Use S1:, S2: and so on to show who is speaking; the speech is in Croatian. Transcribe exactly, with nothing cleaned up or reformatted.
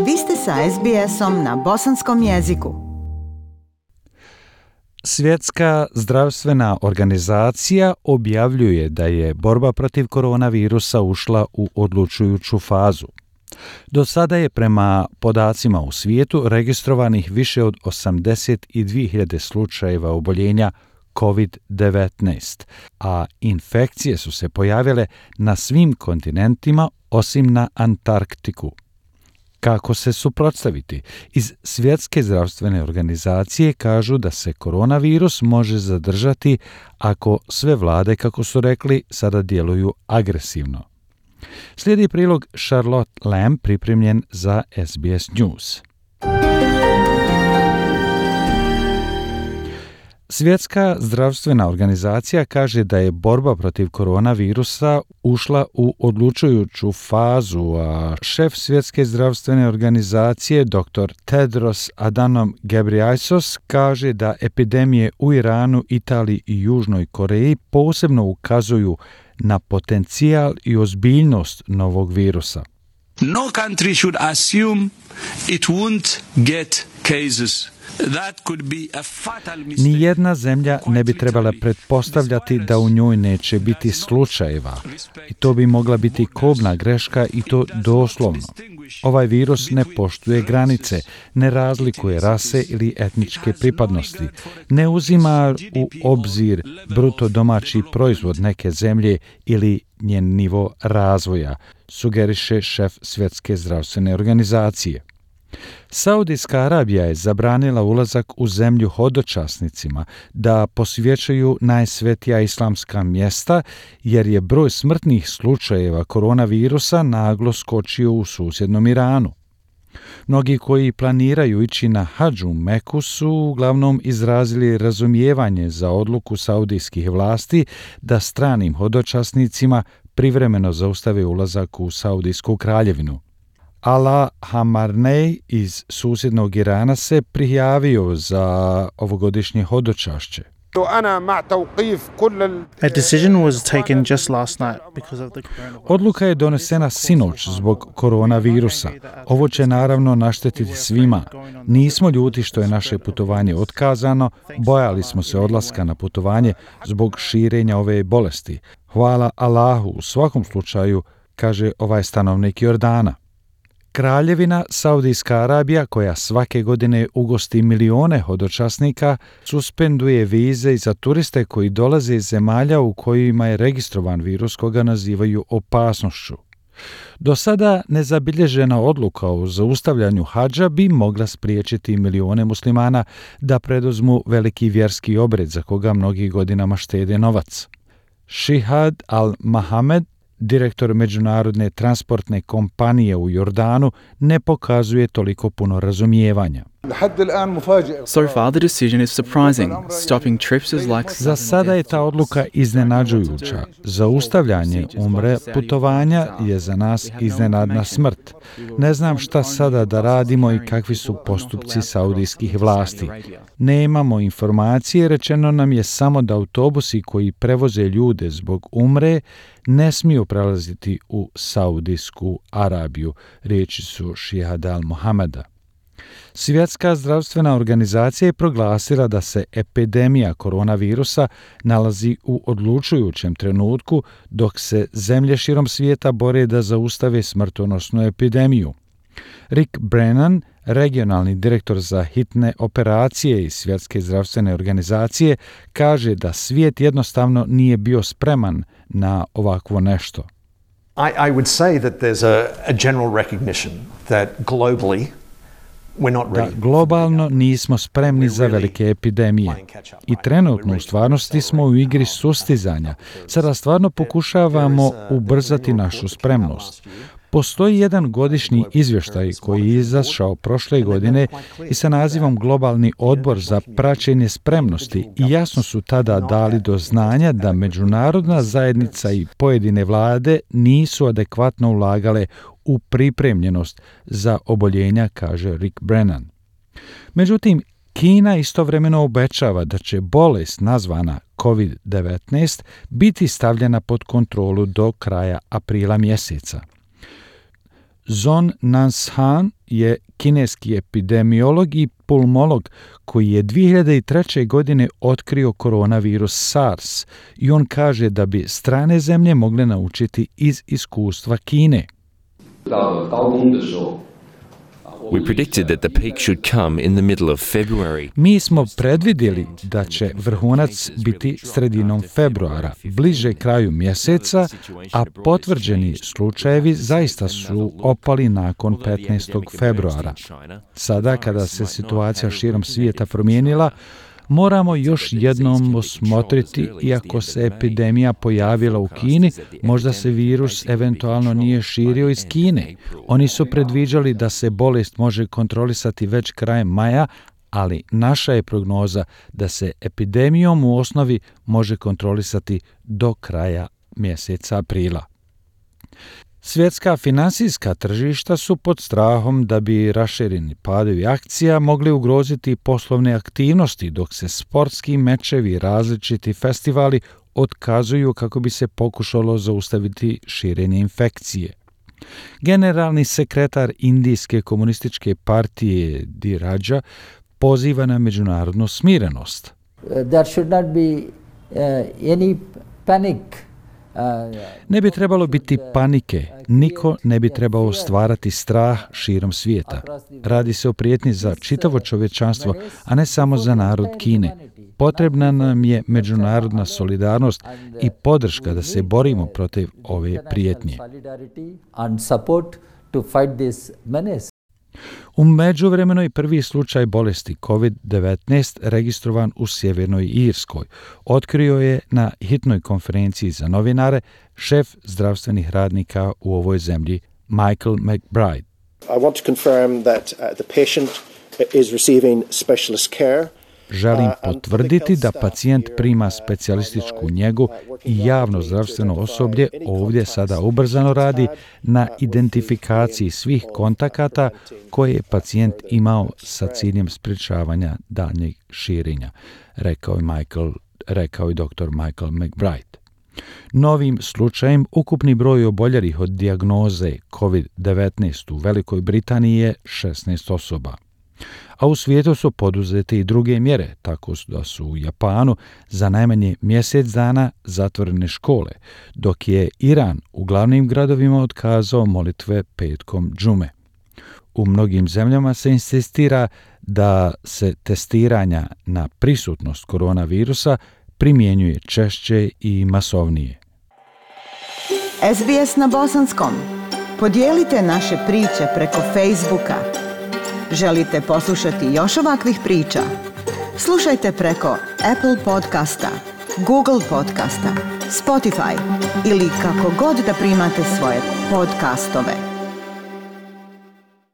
S1: Vi ste sa es be esom na bosanskom jeziku.
S2: Svjetska zdravstvena organizacija objavljuje da je borba protiv koronavirusa ušla u odlučujuću fazu. Do sada je prema podacima u svijetu registrovanih više od osamdeset dvije hiljade slučajeva oboljenja kovid devetnaest, a infekcije su se pojavile na svim kontinentima osim na Antarktiku. Kako se suprotstaviti? Iz Svjetske zdravstvene organizacije kažu da se koronavirus može zadržati ako sve vlade, kako su rekli, sada djeluju agresivno. Slijedi prilog Charlotte Lamb pripremljen za es be es News. Svjetska zdravstvena organizacija kaže da je borba protiv koronavirusa ušla u odlučujuću fazu, a šef Svjetske zdravstvene organizacije dr. Tedros Adhanom Ghebreyesus kaže da epidemije u Iranu, Italiji i Južnoj Koreji posebno ukazuju na potencijal i ozbiljnost novog virusa.
S3: No country should assume it won't get cases.
S2: Nijedna zemlja ne bi trebala pretpostavljati da u njoj neće biti slučajeva. I to bi mogla biti kobna greška i to doslovno. Ovaj virus ne poštuje granice, ne razlikuje rase ili etničke pripadnosti, ne uzima u obzir bruto domaći proizvod neke zemlje ili njen nivo razvoja, sugeriše šef Svjetske zdravstvene organizacije. Saudijska Arabija je zabranila ulazak u zemlju hodočasnicima da posjećuju najsvetija islamska mjesta jer je broj smrtnih slučajeva koronavirusa naglo skočio u susjednom Iranu. Mnogi koji planiraju ići na hadž u Meku su uglavnom izrazili razumijevanje za odluku saudijskih vlasti da stranim hodočasnicima privremeno zaustave ulazak u Saudijsku kraljevinu. Ala Hamarnej iz susjednog Irana se prijavio za ovogodišnje hodočašće.
S4: A decision was taken just last night because of the coronavirus.
S2: Odluka je donesena sinoć zbog koronavirusa. Ovo će naravno naštetiti svima. Nismo ljuti što je naše putovanje otkazano, bojali smo se odlaska na putovanje zbog širenja ove bolesti. Hvala Allahu u svakom slučaju, kaže ovaj stanovnik Jordana. Kraljevina Saudijska Arabija, koja svake godine ugosti milione hodočasnika, suspenduje vize i za turiste koji dolaze iz zemalja u kojima je registrovan virus koga nazivaju opasnošću. Do sada nezabilježena odluka o zaustavljanju hadža bi mogla spriječiti milione muslimana da preduzmu veliki vjerski obred za koga mnogi godinama štede novac. Šihad al-Mahamed, direktor međunarodne transportne kompanije u Jordanu, ne pokazuje toliko puno razumijevanja.
S5: So far the decision is surprising. Stopping trips is like
S2: Za sada je ta odluka iznenađujuća. Zaustavljanje umre putovanja je za nas iznenadna smrt. Ne znam šta sada da radimo i kakvi su postupci saudijskih vlasti. Nemamo informacije, rečeno nam je samo da autobusi koji prevoze ljude zbog umre ne smiju prelaziti u Saudijsku Arabiju, riječi su Šihad al-Mohameda. Svjetska zdravstvena organizacija je proglasila da se epidemija koronavirusa nalazi u odlučujućem trenutku dok se zemlje širom svijeta bore da zaustave smrtonosnu epidemiju. Rick Brennan, regionalni direktor za hitne operacije iz Svjetske zdravstvene organizacije, kaže da svijet jednostavno nije bio spreman na ovakvo nešto.
S6: I, I would say that there's a, a general recognition that globally
S2: da globalno nismo spremni za velike epidemije. I trenutno u stvarnosti smo u igri sustizanja. Sada stvarno pokušavamo ubrzati našu spremnost. Postoji jedan godišnji izvještaj koji je izašao prošle godine i sa nazivom Globalni odbor za praćenje spremnosti i jasno su tada dali do znanja da međunarodna zajednica i pojedine vlade nisu adekvatno ulagale u pripremljenost za oboljenja, kaže Rick Brennan. Međutim, Kina istovremeno obećava da će bolest nazvana kovid devetnaest biti stavljena pod kontrolu do kraja aprila mjeseca. Zon Nanshan, je kineski epidemiolog i pulmolog koji je dvije hiljade treće. godine otkrio koronavirus SARS i on kaže da bi strane zemlje mogle naučiti iz iskustva Kine.
S7: We predicted that the peak should come in the middle of February.
S2: Mi smo predvidjeli da će vrhunac biti sredinom februara, bliže kraju mjeseca, a potvrđeni slučajevi zaista su opali nakon petnaestog februara. Sada, kada se situacija širom svijeta promijenila, moramo još jednom osmotriti, iako se epidemija pojavila u Kini, možda se virus eventualno nije širio iz Kine. Oni su predviđali da se bolest može kontrolisati već krajem maja, ali naša je prognoza da se epidemijom u osnovi može kontrolisati do kraja mjeseca aprila. Svjetska finansijska tržišta su pod strahom da bi rašireni padovi akcija mogli ugroziti poslovne aktivnosti, dok se sportski mečevi i različiti festivali otkazuju kako bi se pokušalo zaustaviti širenje infekcije. Generalni sekretar Indijske komunističke partije Di Raja poziva na međunarodnu smirenost.
S8: There should not be uh, any panic.
S2: Ne bi trebalo biti panike, niko ne bi trebao stvarati strah širom svijeta. Radi se o prijetnji za čitavo čovječanstvo, a ne samo za narod Kine. Potrebna nam je međunarodna solidarnost i podrška da se borimo protiv ove prijetnje. U međuvremenu je prvi slučaj bolesti kovid devetnaest registrovan u Sjevernoj Irskoj. Otkrio je na hitnoj konferenciji za novinare šef zdravstvenih radnika u ovoj zemlji, Michael McBride.
S9: I want to confirm that uh, the patient is receiving specialist care.
S2: Želim potvrditi da pacijent prima specijalističku njegu i javno zdravstveno osoblje ovdje sada ubrzano radi na identifikaciji svih kontakata koje je pacijent imao sa ciljem sprječavanja daljnjeg širenja, rekao je Michael, rekao je doktor Michael McBride. Novim slučajem ukupni broj oboljelih od dijagnoze kovid devetnaest u Velikoj Britaniji je šesnaest osoba. A u svijetu su poduzete i druge mjere, tako da su u Japanu za najmanje mjesec dana zatvorene škole, dok je Iran u glavnim gradovima otkazao molitve petkom džume. U mnogim zemljama se insistira da se testiranja na prisutnost koronavirusa primjenjuje češće i masovnije.
S1: S B S na bosanskom. Podijelite naše priče preko Facebooka. Želite poslušati još ovakvih priča? Slušajte preko Apple podcasta, Google podcasta, Spotify ili kako god da primate svoje podcastove.